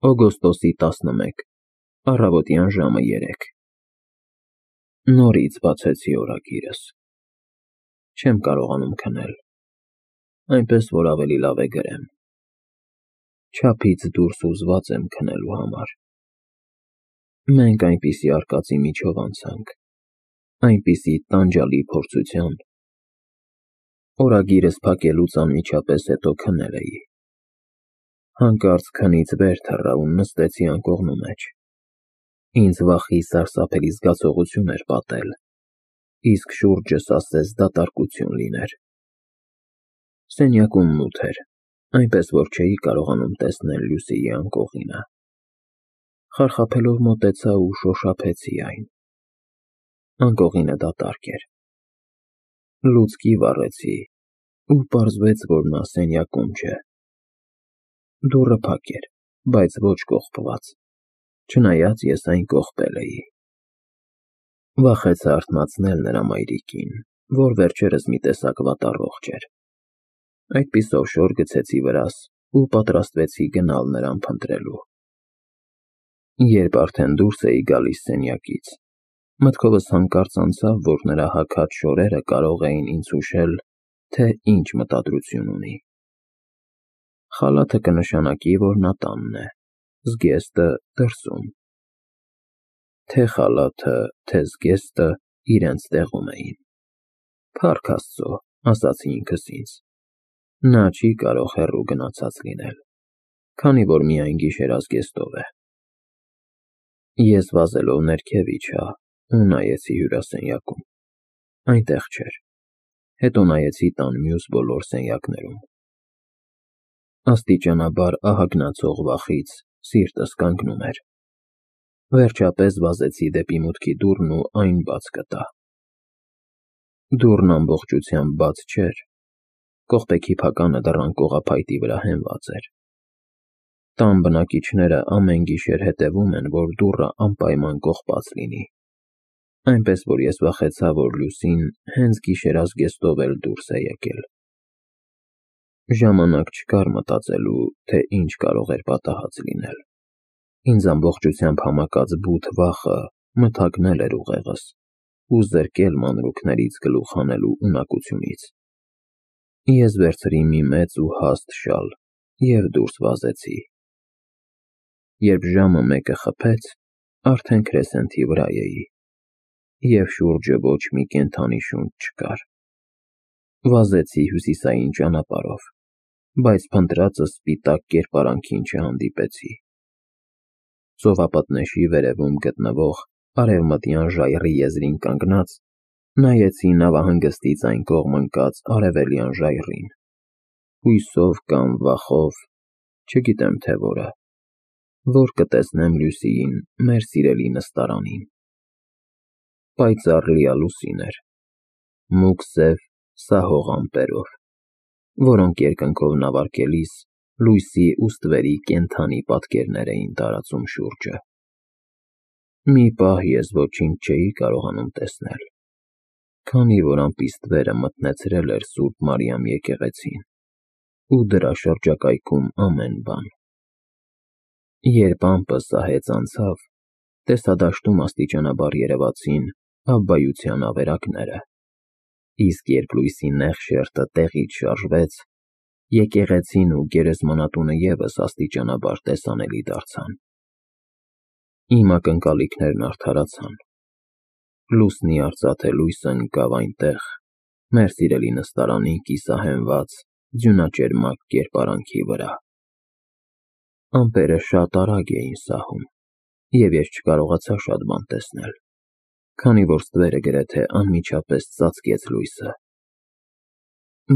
Օգոստոսի 11, առավոտյան ժամը 3։ Նորից բացեցի օրագիրս։ Չեմ կարողանում քնել, այնպես որ ավելի լավ է գրեմ։ Չափից դուրս ուզված եմ քնելու համար։ Մենք այնպիսի արկածի միջով անցանք, այնպիսի տանջալի փորձության։ Օրագիրս փակելուց անմիջապես հետո քնել էի։ Հանկարծ քնից վեր թռա ու նստեցի անկողնու մեջ։ Ինձ վախի սարսափելի զգացողություն էր պատել, իսկ շուրջս ասես դատարկություն լիներ։ Սենյակում մութ էր, այնպես որ չէի կարողանում տեսնել Լուսիի անկողինը։ Խարխափելով մոտեցա ու շոշափեցի այն։ Անկողինը դատարկ էր։ Լուցկի վառեցի ու պարզվեց, որ նա սենյակում չէ։ Դուռը փակ էր, բայց ոչ կողպված, չնայած ես այն կողպել էի։ Վախեցա արթնացնել նրա մայրիկին, որ վերջերս մի տեսակ վատառողջ էր։ Այդպիսով շոր գցեցի վրաս ու պատրաստվեցի գնալ նրան փնտրելու։ Երբ արդեն դուրս էի գալիս սենյակից, մտքովս հանկարծ անցավ, որ նրա հագած շորերը կարող էին ինձ հուշել, թե ինչ մտադրություն ունի։ Խալաթը կնշանակի, որ նա տանն է, զգեստը դրսում։ Թե խալաթը, թե զգեստը իրենց տեղում էին։ Փառք Աստծո, ասացի ինքս ինձ, նա չի կարող հեռու գնացած լինել, քանի որ միայն գիշերազգեստով է։ Ես վազելով ներքև իջա ու նայեցի հյուրասենյակում։ Այնտեղ չէր։ Հետո նայեցի տան մյուս բոլոր սենյակներում։ Աստիճանաբար ահագնացող վախից սիրտս կանգնում էր։ Վերջապես վազեցի դեպի մուտքի դուռն ու այն բաց գտա։ Դուռն ամբողջությամբ բաց չէր, կողպեքի փականը դռան կողափայտի վրա հենված էր։ Տան բնակիչները ամեն գիշեր հետևում են, որ դուռը անպայման կողպած լինի, այնպես որ ես վախեցա, որ Լուսին հենց գիշերազգեստով էլ դուրս է եկել։ Ժամանակ չկար մտածելու, թե ինչ կարող էր պատահած լինել։ Ինձ ամբողջությամբ համակած բութ վախը մթագնել էր ուղեղս ու զրկել մանրուքներից գլուխ հանելու ունակությունից։ Ես վերցրի մի մեծ ու հաստ շալ և դուրս վազեցի։ Երբ ժամը 1-ը խփեց, արդեն քրեսենթի վրա էի, և շուրջը ոչ մի կենդանի շունչ չկար։ Վազեցի հյուսիսային ճանապարհով, բայց փնտրածս սպիտակ կերպարանքին չհանդիպեցի։ Ծովապտնեշի վերևում գտնվող արևմտյան ժայռի եզրին կանգնած, նայեցի նավահանգստից այն կողմ ընկած արևելյան ժայռին, հույսով կամ վախով, չգիտեմ թե որը, որ կտեսնեմ Լուսիին մեր սիրելի նստարանին։ Պայծառ լիալուսին էր, մուգ սև սահող ամպերով, որոնք երկնքով նավարկելիս լույսի ու ստվերի կենդանի պատկերներ էին տարածում շուրջը։ Մի պահ ես ոչինչ չէի կարողանում տեսնել, քանի որ ամպի մթնեցրել էր Սուրբ Մարիամ եկեղեցին ու դրա շրջակայքում ամեն բան։ Երբ ամպը սահեց անցավ, տեսադաշտում աստիճանաբար երևացին Աբբայության ավերակները, իսկ երբ լույսի նեղ շերտը տեղից շարժվեց, եկեղեցին ու գերեզմանատունը ևս աստիճանաբար տեսանելի դարձան։ Իմ ակնկալիքներն արդարացան։ Լուսնի արծաթե լույսը ընկավ այնտեղ, մեր սիրելի նստարանի կիսահենված ձյունաճերմակ կերպարանքի վրա։ Ամպերը շատ արագ էին սահում, և ես չկարողացա շատ բան տեսնել, քանի որ ստվերը գրեթե անմիջապես ծածկեց լույսը։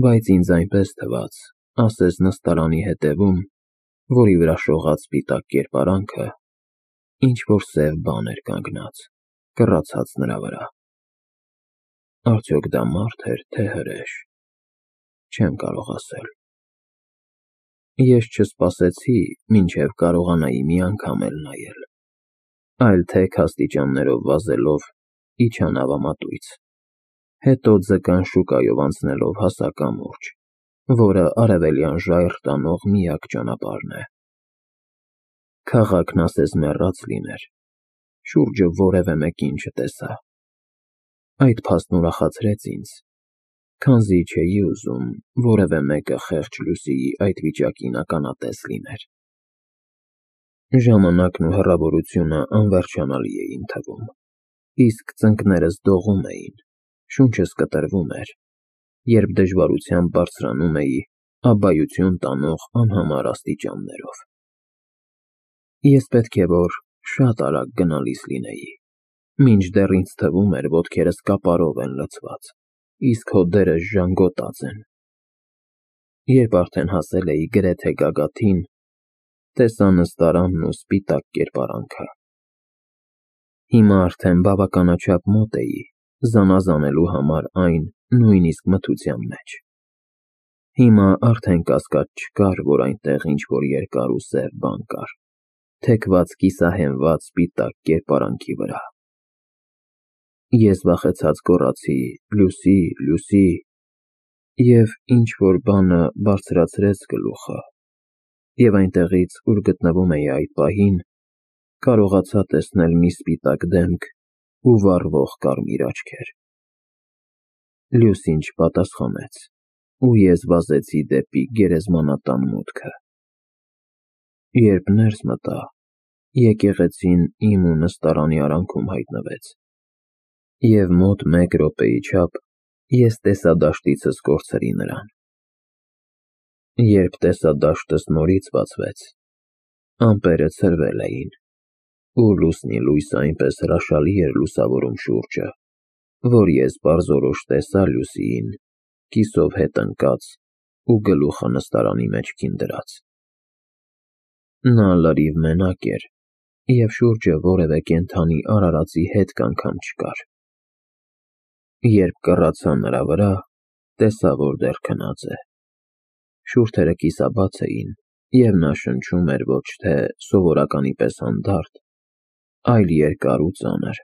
Բայց ինձ այնպես թվաց, ասես նստարանի հետևում, որի վրա շողաց սպիտակ կերպարանքը, ինչ-որ սև բան էր կանգնած, կռացած նրա վրա։ Արդյոք դա մարդ էր, թե հրեշ, չեմ կարող ասել։ Ես չսպասեցի, մինչև կարողանայի մի անգամ էլ նայել, այլ թեք աստիճաններով վազելով իջա նավամատույց, հետո ձկան շուկայով անցնելով հասա կամուրջ, որը արևելյան ժայռ տանող միակ ճանապարհն է։ Քաղաքն ասես մեռած լիներ, շուրջը որևէ մեկին չտեսա։ Այդ փաստն ուրախացրեց ինձ, քանզի չէի ուզում որևէ մեկը խեղճ Լուսիի այդ վիճակին ականատես լիներ։ Ժամանակն ու հեռավորությունը անվերջանալի էին թվում, իսկ ծնկներս դողում էին, շունչս կտրվում էր, երբ դժվարությամբ բարձրանում էի աբայություն տանող անհամար աստիճաններով։ Ես պետք է որ շատ արագ գնալիս լինեի, մինչդեռ ինձ թվում էր ոտքերս կապարով են լցված, իսկ հոդերս ժանգոտած են։ Երբ արդեն հասել էի գրեթե գագաթին, տեսա նստարանն ու սպիտակ կերպարանքը։ Հիմա արդեն բավականաչափ մոտ էի զանազանելու համար այն նույնիսկ մթության մեջ։ Հիմա արդեն կասկած չկար, որ այնտեղ ինչ-որ երկար ու սև բան կար, թեքված կիսահենված սպիտակ կերպարանքի վրա։ Ես վախեցած գոռացի. «Լուսի, Լուսի», և ինչ-որ բանը բարձրացրեց գլուխը, և այնտեղից, ուր գտնվում էի այդ պահին, կարողացա տեսնել մի սպիտակ դեմք ու վառվող կարմիր աչքեր։ Լուսին չպատասխանեց, ու ես վազեցի դեպի գերեզմանատան մուտքը։ Երբ ներս մտա, եկեղեցին իմ ու նստարանի արանքում հայտնվեց, և մոտ մեկ րոպեի չափ ես տեսադաշտիցս կորցրի նրան։ Երբ տեսադաշտս նորից բացվեց, ամպերը ցրվել էին, ու լուսնի լույսը այնպես հրաշալի էր լուսավորում շուրջը, որ ես պարզորոշ տեսա Լուսիին կիսով հետ ընկած ու գլուխը նստարանի մեջքին դրած։ Նա լրիվ մենակ էր, և շուրջը որևէ կենդանի արարածի հետք անգամ չկար։ Երբ կռացա նրա վրա, տեսա, որ դեռ քնած է։ Շուրթերը կիսաբաց էին, և նա շնչում էր ոչ թե սովորականի պես հանդարտ, այլ երկար ու ծանր,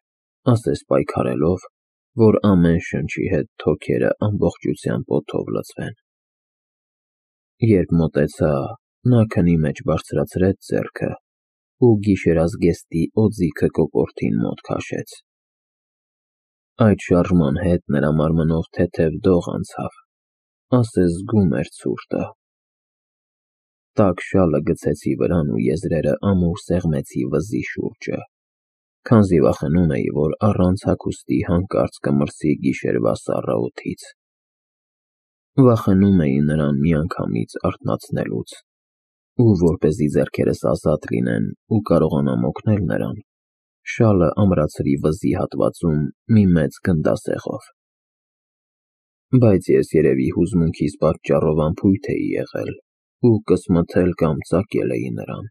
ասես պայքարելով, որ ամեն շնչի հետ թոքերը ամբողջությամբ օդով լցվեն։ Երբ մոտեցա, նա քնի մեջ բարձրացրեց ձեռքը ու գիշերազգեստի օձիքը կոկորդին մոտ քաշեց։ Այդ շարժման հետ նրա մարմնով թեթև դող անցավ, ասես զգում էր ցուրտը։ Տաք շալը գցեցի վրան ու եզրերը ամուր սեղմեցի վզի շուրջը, քանզի վախենում էի, որ առանց հագուստի հանկարծ կմրսի գիշերվա սառը օդից։ Վախենում էի նրան միանգամից արթնացնելուց, ու որպեսզի ձեռքերս ազատ լինեն ու կարողանամ օգնել նրան, շալը ամրացրի վզի հատվածում մի մեծ գնդասեղով։ Բայց ես երևի հուզմունքիս պատճառով անփույթ էի եղել ու կսմթել կամ ծակել էի նրան,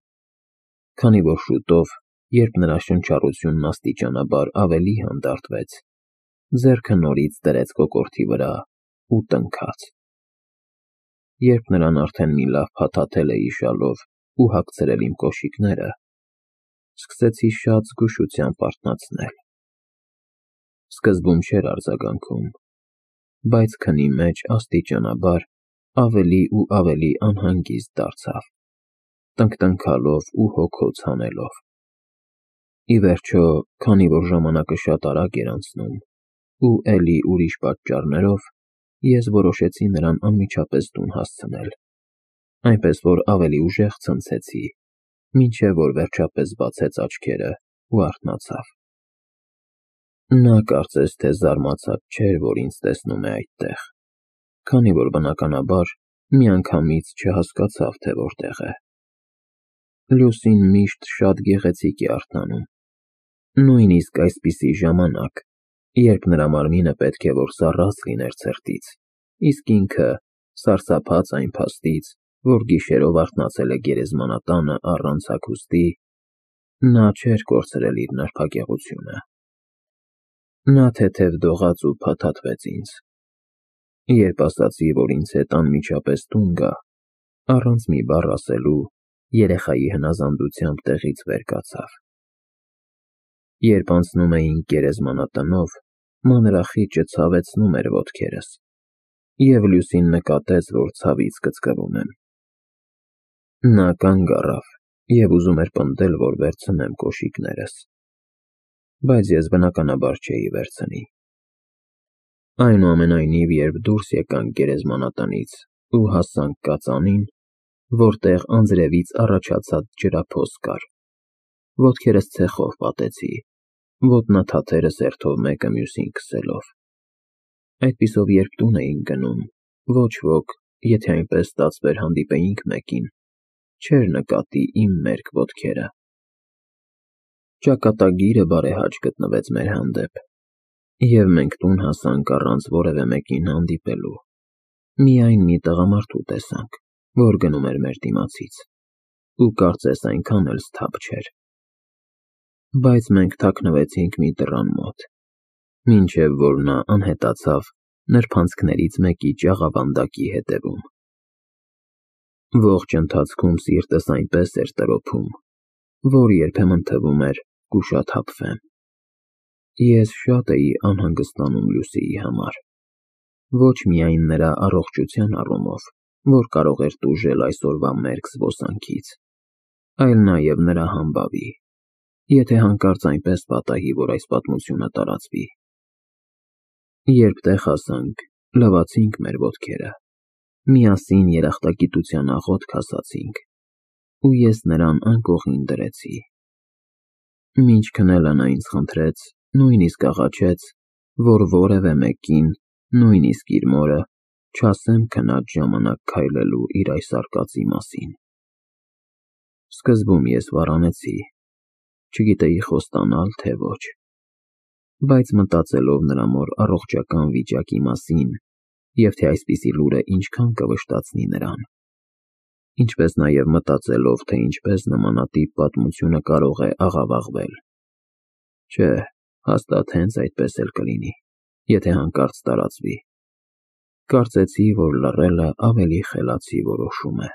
քանի որ շուտով, երբ նրա շնչառությունն աստիճանաբար ավելի հանդարտվեց, ձեռքը նորից դրեց կոկորդի վրա ու տնքաց։ Երբ նրան արդեն մի լավ փաթաթել էի շալով ու հագցրել իմ կոշիկները, սկսեցի շատ զգուշությամբ արթնացնել։ Սկզբում չէր արձագանքում, բայց քնի մեջ աստիճանաբար ավելի ու ավելի անհանգիստ դարձավ, տնկտնքալով ու հոգոց հանելով։ Ի վերջո, քանի որ ժամանակը շատ արագ էր անցնում, ու էլի ուրիշ պատճառներով, ես որոշեցի նրան անմիջապես տուն հասցնել, այնպես որ ավելի ուժեղ ցնցեցի, մինչև որ վերջապես բացեց աչքերը ու արթնացավ։ Նա կարծես թե զարմացած չէր, որ ինձ տեսնում է այդտեղ, քանի որ բնականաբար միանգամից չհասկացավ, թե որտեղ է։ Լուսին միշտ շատ գեղեցիկ է արթնանում, նույնիսկ այսպիսի ժամանակ, երբ նրա մարմինը պետք է որ սառած լիներ ցրտից, իսկ ինքը, սարսափած այն փաստից, որ գիշերով արթնացել է գերեզմանատանը առանց հագուստի, նա չէր կորցրել իր նրբագեղությունը։ Նա թեթև դողաց ու փաթաթվեց ինձ։ Երբ ասացի, որ ինձ հետ անմիջապես տուն գա, առանց մի բառ ասելու, երեխայի հնազանդությամբ տեղից վեր կացավ։ Երբ անցնում էինք գերեզմանատնով, մանրախիճը ցավեցնում էր ոտքերս, և Լուսին նկատեց, որ ցավից կծկվում եմ։ Նա կանգ առավ և ուզում էր պնդել, որ վերցնեմ կոշիկներս, բայց ես բնականաբար չէի վերցնի։ Այնուամենայնիվ, երբ դուրս եկանք գերեզմանատնից ու հասանք կածանին, որտեղ անձրևից առաջացած ջրափոս կար, ոտքերս ցեխով պատեցի, ոտնաթաթերը սերտով մեկը մյուսին քսելով։ Այդպիսով երբ տուն էինք գնում, ոչ ոք, եթե այնպես ստացվեր հանդիպեինք մեկին, չէր նկատի իմ մերկ ոտքերը։ Ճակատագիրը բարեհաճ գտնվեց մեր հանդեպ, և մենք տուն հասանք առանց որևէ մեկին հանդիպելու։ Միայն մի տղամարդու տեսանք, որ գնում էր մեր դիմացից, ու կարծես այնքան էլ սթափ չէր։ Բայց մենք թաքնվեցինք մի դռան մոտ, մինչև որ նա անհետացավ նրբանցքներից մեկի ջաղավանդակի հետևում։ Ողջ ընթացքում սիրտս այնպես էր տրոփում, որ երբեմն թվում էր կուշաթափվեմ։ Ես շատ էի անհանգստանում Լուսիի համար, ոչ միայն նրա առողջության առումով, որ կարող էր տուժել այսօրվա մերկ զբոսանքից, այլ նաև նրա համբավի, եթե հանկարծ այնպես պատահի, որ այս պատմությունը տարածվի։ Երբ տեղ հասանք, լվացինք մեր ոտքերը, միասին երախտագիտության աղոթք ասացինք, ու ես նրան անկողին դրեցի։ Մինչ քնելը նա ինձ խնդրեց, նույնիսկ աղաչեց, որ որևէ մեկին, նույնիսկ իր մորը, չասեմ քնած ժամանակ քայլելու իր այս արկածի մասին։ Սկզբում ես վառանեցի, չգիտեի խոստանալ, թե ոչ, բայց մտածելով նրա մոր առողջական վիճակի մասին և թե այսպիսի լուրը ինչքան կվշտացնի նրան, ինչպես նաև մտածելով, թե ինչպես նմանատիպ պատմությունը կարող է աղավաղվել, չէ, հաստատ հենց այդպես էլ կլինի, եթե հանկարծ տարածվի, կարծեցի, որ լռելը ավելի խելացի որոշում է։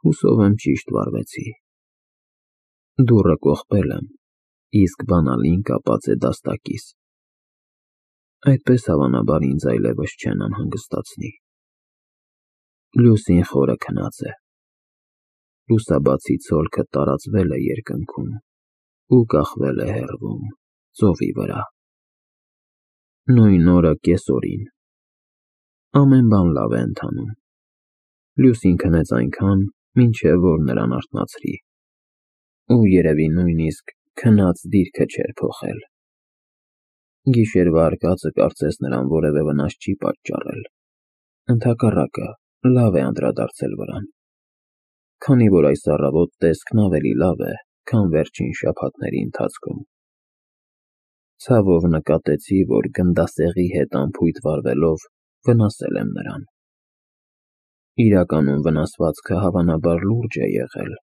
Հուսով եմ ճիշտ վարվեցի։ Դուռը կողպել եմ, իսկ բանալին կապած է դաստակիս։ Այդպես հավանաբար ինձ այլևս չեն անհանգստացնի։ Լուսին խորը քնած է։ Լուսաբացի ցոլքը տարածվել է երկնքում ու կախվել է հեռվում, ծովի վրա։ Նույն օրը կեսօրին։ Ամեն բան լավ է ընթանում։ Լուսին քնեց այնքան, մինչև որ նրան արթնացրի, ու երևի նույնիսկ քնած դիրքը չէր փոխել։ Գիշերվա արկածը կարծես նրան որևէ վնաս չի պատճառել, ընդհակառակը, լավ է անդրադարձել վրան, քանի որ այս առավոտ տեսքն ավելի լավ է, քան վերջին շաբաթների ընթացքում։ Ցավով նկատեցի, որ գնդասեղի հետ անփույթ վարվելով վնասել եմ նրան։ Իրականում վնասվածքը հավանաբար լուրջ է եղել,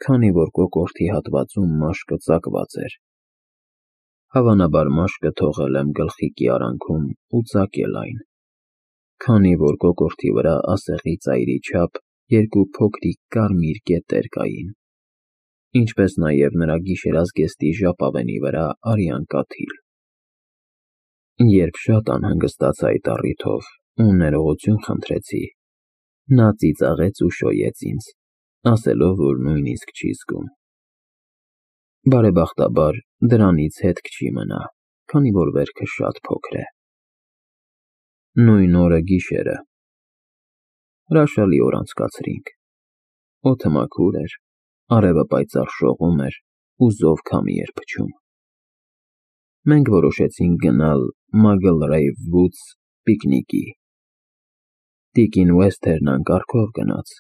քանի որ կոկորդի հատվածում մաշկը ծակված էր։ Հավանաբար մաշկը թողել եմ գլխիկի արանքում ու ծակել այն, քանի որ կոկորդի վրա ասեղի ծայրի չափ երկու փոքրիկ կարմիր կետեր կային, ինչպես նաև նրա գիշերազգեստի ժապավենի վրա արյան կաթիլ։ Երբ շատ անհանգստացա այդ առիթով ու ներողություն խնդրեցի, նա ծիծաղեց ու շոյեց ինձ, ասելով, որ նույնիսկ չի զգում։ Բարեբախտաբար, դրանից հետք չի մնա, քանի որ վերքը շատ փոքր է։ Նույն օրը գիշերը հրաշալի օր անցկացրինք։ Օդը մաքուր էր, արևը պայծառ շողում էր ու զով քամի էր փչում։ Մենք որոշեցինք գնալ Մագլրեյվ Վուդս պիկնիկի։ Տիկին Ուեսթերն անկարգով գնաց,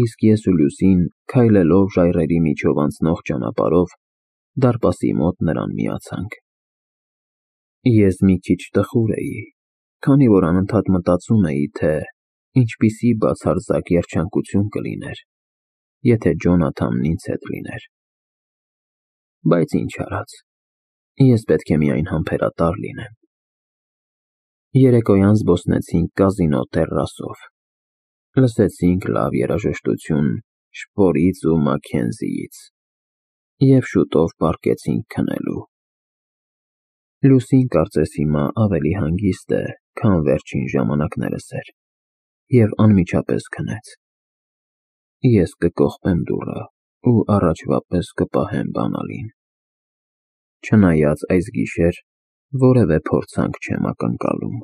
իսկ ես ու Լուսին, քայլելով ժայռերի միջով անցնող ճանապարհով, դարպասի մոտ նրան միացանք։ Ես մի քիչ տխուր էի, քանի որ անընդհատ մտածում էի, թե ինչպիսի բացարձակ երջանկություն կլիներ, եթե Ջոնաթանն ինձ հետ լիներ։ Բայց ինչ արած, ես պետք է միայն համբերատար լինեմ։ Երեկոյան զբոսնեցինք կազինո տեռասով, լսեցինք լավ երաժշտություն Շպորից ու Մաքքենզիից և շուտով պառկեցինք քնելու։ Լուսին կարծես հիմա ավելի հանգիստ է, քան վերջին ժամանակներս էր, և անմիջապես քնեց։ ես կկողպեմ դուռը ու առաջվա պես կպահեմ բանալին։ Չնայած այս գիշեր որևէ փորձանք չեմ ակնկալում։